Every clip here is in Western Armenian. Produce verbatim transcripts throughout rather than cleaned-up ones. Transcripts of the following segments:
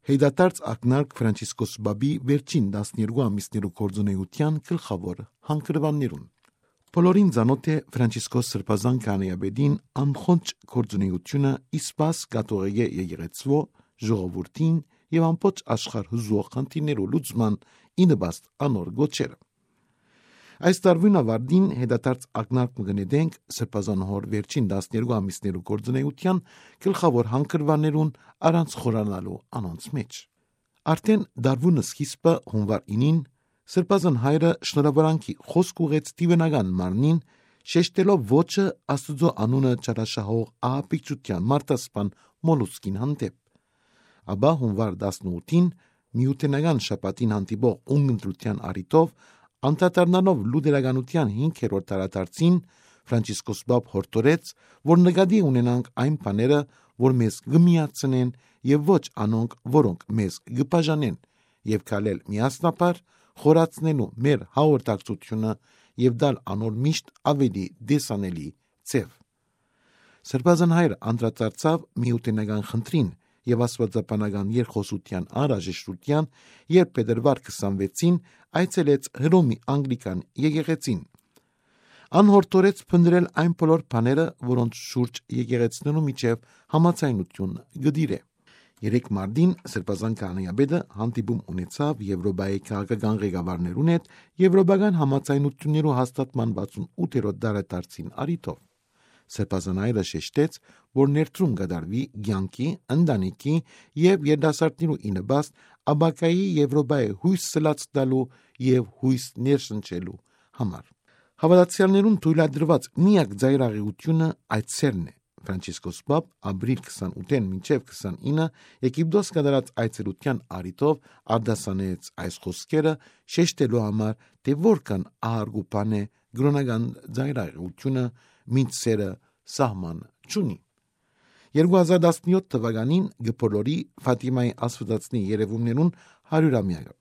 Յեյտադարձ ակնարկ Ֆրանցիսկոս Պապի վերջին տասներկու ամիսներու գործունեութեան գլխաւոր հանգրուաններուն։ Բոլորին ծանօթ է Ֆրանցիսկոս Սրբազան քահանայապետին անխոնջ գործունեութիւնը, ի սպաս կաթողիկէ եկեղեցւոյ, ժողովուրդին եւ ամբողջ աշխարհ յուզուող խնդիրներու լուծման, ի նպաստ անոր կոչերը։ Այս տարուին աւարտին յեդադարձ ակնարկ մը կը նետենք Սրբազան հօր վերջին տասներկու ամիսներու գործունեութեան գլխաւոր հանգրուաններուն, առանց խորանալու անոնց մէջ։ Արդէն դարուին սկիզբը, հունուար ինին, Սրբազան հայրը շնորհաւորանքի խօսք ուղղեց դիւենական մարմնին, շեշտելով ոճը Աստուծոյ անունը չարաշահող ահաբեկչութեան մարդասպան մոլուցքին հանդէպ։ Ապա հունուար տասնութին, միութենական շաբաթին հանդիպող ունգընտրութեան առիթով, անդրադառնալով լուտերականութեան հինգերորդ դարադարձին, Ֆրանցիսկոս Պապ յորդորեց, որ նկատի ունենանք այն բաները, որ մեզ կը միացնեն, եւ ոչ անոնք, որոնք մեզ կը բաժանեն, եւ քալել միասնաբար խորացնելու մեր հաղորդակցութիւնը եւ տալ անոր միշտ աւելի տեսանելի ձեւ։ Սրբազան հայրը անդրադարձաւ միութենական խնդրին եւ աստուածաբանական երկխօսութեան անհրաժեշտութեան, երբ փետրուար քսանվեցին այցելեց Հռոմի Անգլիկան եկեղեցին։ Ան յորդորեց փնտռել այն բոլոր բաները, որոնց շուրջ եկեղեցիներու միջեւ համաձայնութիւն կը տիրէ։ Երեկ մարտին Սրբազան քահանայապետը հանդիպում ունեցաւ Եւրոպայի քաղաքական ղեկավարներուն հետ Եւրոպական համաձայնութիւններու հաստատման վաթսուն ութերորդ դարադարձին առիթով։ Սրբազան հայրը շեշտեց, որ ներդրում կատարուի կեանքի, ընտանիքի եւ երիտասարդներու ի նպաստ, ապագայի Եվրոպայի յոյս սլաց տալու եւ յոյս ներշնչելու համար։ Հաւատացեալներուն թոյլատրուած միակ ծայրաղեութիւնը այդ սերն է։ Ֆրանցիսկոս Պապ ապրիլ քսանութ մինչեւ քսանինը Եգիպտոս կատարած այցելութեան առիթով արտասանեց այս խօսքերը, շեշտելու համար, թէ որքան ահարգու բան է կրօնական ծայրաղեութիւնը, մինչ սերը սահման չունի։ Երկու հազար տասնյոթ թվականին կը բոլորի Ֆաթիմայի աստուածածնի երեւումներուն հարիւրամեակը։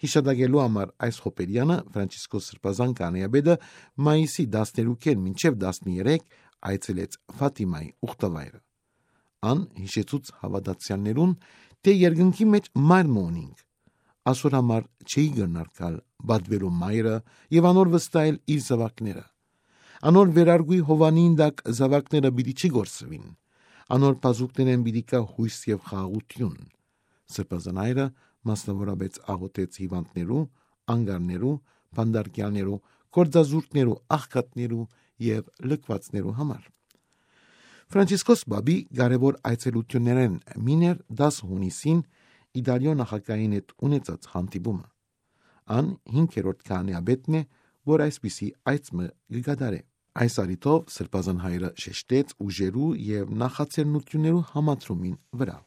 Յիշատակելու համար այս հոբերեանը Ֆրանցիսկոս Սրբազան քահանայապետը մայիսի տասներեքին մինչեւ տասներեք այցելեց Ֆաթիմայի ուխտավայրը։ Ան յիշեցուց հաւատացեալներուն, թէ երկնքի մէջ մայր մը ունինք։ Ասոր համար չէի կրնար գալ պատուելու մայրը եւ անոր վստահել իր զաւակները։ Անոր վերարկուի հովանին տակ զաւակները պիտի չի կորսուին։ Անոր բազուկներէն պիտի գայ յոյս եւ խաղաղութիւն։ Սրբազան հայրը մասնաւորապէս աղօթեց հիւանդներու, անկարներու, բանտարկեալներու, գործազուրկներու, աղքատներու եւ լքուածներու համար։ Ֆրանցիսկոս Պապի կարեւոր այցելութիւններէն մին էր տասը յունիսին Իտալիոյ նախագահին հետ ունեցած հանդիպումը։ Ան հինգերորդ քահանայապետն է, որ այսպիսի այց մը կը կատարէ։ Այս առիթով Սրբազան հայրը շեշտեց ուժերու եւ նախաձեռնութիւններու համադրումին վրայ։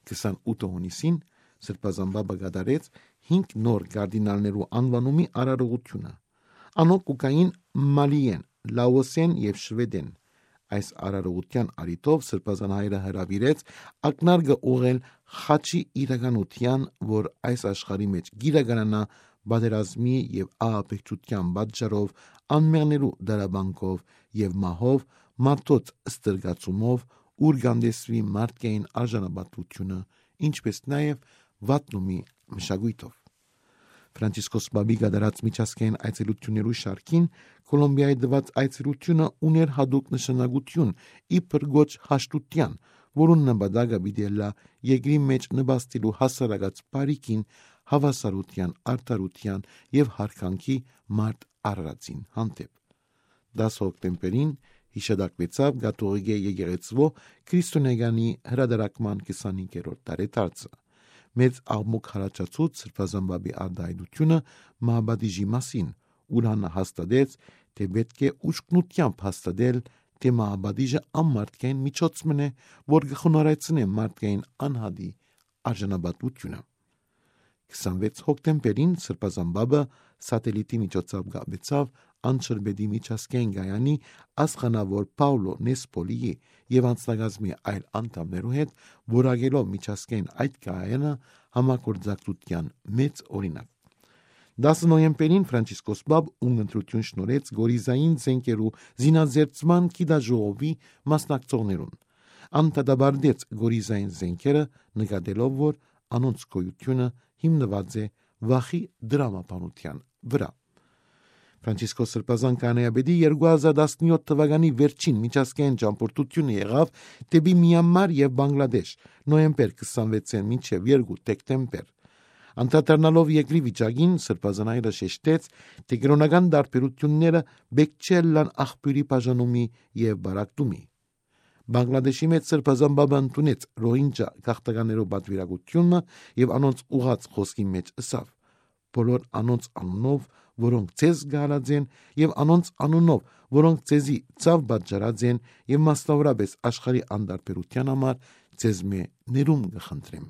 Քսանութ յունիսին Սրբազան Պապը կատարեց հինգ նոր կարդինալներու անուանումի արարողութիւնը։ Անոնք կու գային Մալիէն, Լաոսէն եւ Շուեդէն։ Այս արարողութեան առիթով Սրբազան հայրը հրաւիրեց ակնարկը ուղղել խաչի իրականութեան, որ այս աշխարհի մէջ կիրականանայ պատերազմի եւ ահաբեկչութեան պատճառով, անմեղներու դարաբանքով եւ մահով, մարդոց ստրկացումով, ուր կ'անտեսուի մարդկային արժանապատվութիւնը, ինչպէս նաեւ վատնումի մշակոյթով։ Ֆրանցիսկոս Պապի կատարած միջազգային այցելութիւններու շարքին Կոլումբիայի տուած այցելութիւնը ունէր յատուկ նշանակութիւն, իբր կոչ հաշտութեան, որուն նպատակը պիտի ըլլայ երկրի մէջ նպաստելու հասարակաց բարիքին, հաւասարութեան, արդարութեան եւ յարգանքի մարդ արարածին հանդէպ։ Տասը հոկտեմբերին յիշատակուեցաւ կաթողիկէ եկեղեցւոյ քրիստոնեականի հրատարակման քսանհինգերորդ տարեդարձը։ Մեծ աղմուկ յառաջացուց Սրբազան Պապի արտահայտութիւնը մահապատիժի մասին, ուր ան հաստատեց, թէ պէտք է ուշքնութեամբ հաստատել, թէ մահապատիժը անմարդկային միջոց մըն է, որ կը խոնարհեցնէ մարդկային անհատի արժանապատվութիւնը։ Քսանվեց հոկտեմբերին Սրբազան Պապը սատելիտի միջոցով կապեցաւ Անչրպետի միջազգային կայանի աստղանաւոր Պաուլո Նեսպոլիի եւ անձնակազմի այլ անդամներու հետ, որակելով միջազգային այդ կայանը համագործակցութեան մեծ օրինակ։ Տասը նոյեմբերին Ֆրանցիսկոս Պապ ունգընտրութիւն շնորհեց Գորիզային զէնքերու զինազերծման գիտաժողովի մասնակցողներուն։ Ան դատապարտեց կորիզային զէնքերը, նկատելով որ անոնց գոյութիւնը հիմնուած է վախի դրամաբանութեան վրայ։ Ֆրանցիսկոս Սրբազան քահանայապետի երկու հազար տասնյոթ թուականի վերջին միջազգային ճամբորդութիւնը եղաւ դէպի Միանմար եւ Բանգլադեշ, նոյեմբեր քսանվեցէն մինչեւ երկու դեկտեմբեր։ Անդրադառնալով երկրի վիճակին, Սրբազան հայրը շեշտեց, թէ կրօնական տարբերութիւնները պէտք չէ ըլլան աղբիւրի բաժանումի եւ պարակտումի։ Բանգլադեշի մէջ Սրբազան Պապը ընդունեց Ռոհինջա գաղթականներու պատվիրակութիւնը եւ անոնց ուղղած խօսքին մէջ ըսաւ. «Բոլոր անոնց անունով, որոնք ձեզ գալած են, եւ անոնց անունով, որոնք ձեզի ցաւ պատճառած են, եւ մասնավորապես աշխարհի անտարբերութեան համար, ձեզմէ ներում կը խնդրեմ»։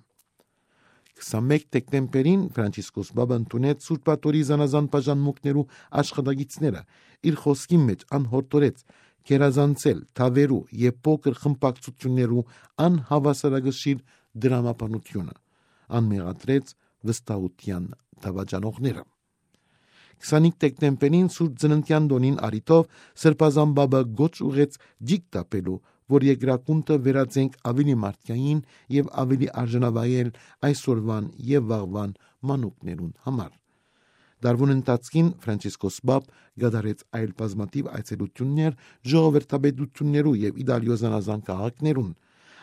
Քսանմէկ դեկտեմբերին Ֆրանցիսկոս Պապը ընդունեց Սուրբ Աթոռի զանազան բաժանմունքներու աշխատակիցները։ Իր խօսքին մէջ ան յորդորեց գերազանցել թաւերու եւ փոքր խմբակցութիւններու անհաւասարակշիռ դրամաբանութիւնը։ Ան մեղադրեց վստահութեան դաւաճանողները։ Քսանհինգ դեկտեմբերին Սուրբ Ծննդեան տօնին առիթով Սրբազան Պապը գոչ ուղղեց ջիկ տապելու, որ երկրագունդը վերածենք աւելի մարդկային եւ աւելի արժանավայել այսօրուան եւ վաղուան մանուկներուն համար։ Տարուան ընթացքին Ֆրանցիսկոս Պապ կատարեց այլ բազմաթիւ այցելութիւններ ժողովրդապետութիւններու եւ Իտալիոյ զանազան քաղաքներուն։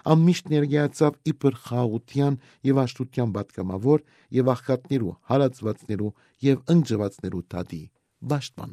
Ան միշտ ներկայացաւ իբր խաղաղութեան եւ հաշտութեան պատգամաւոր եւ աղքատներու, հալածուածներու եւ ընկճուածներու դատի պաշտպան։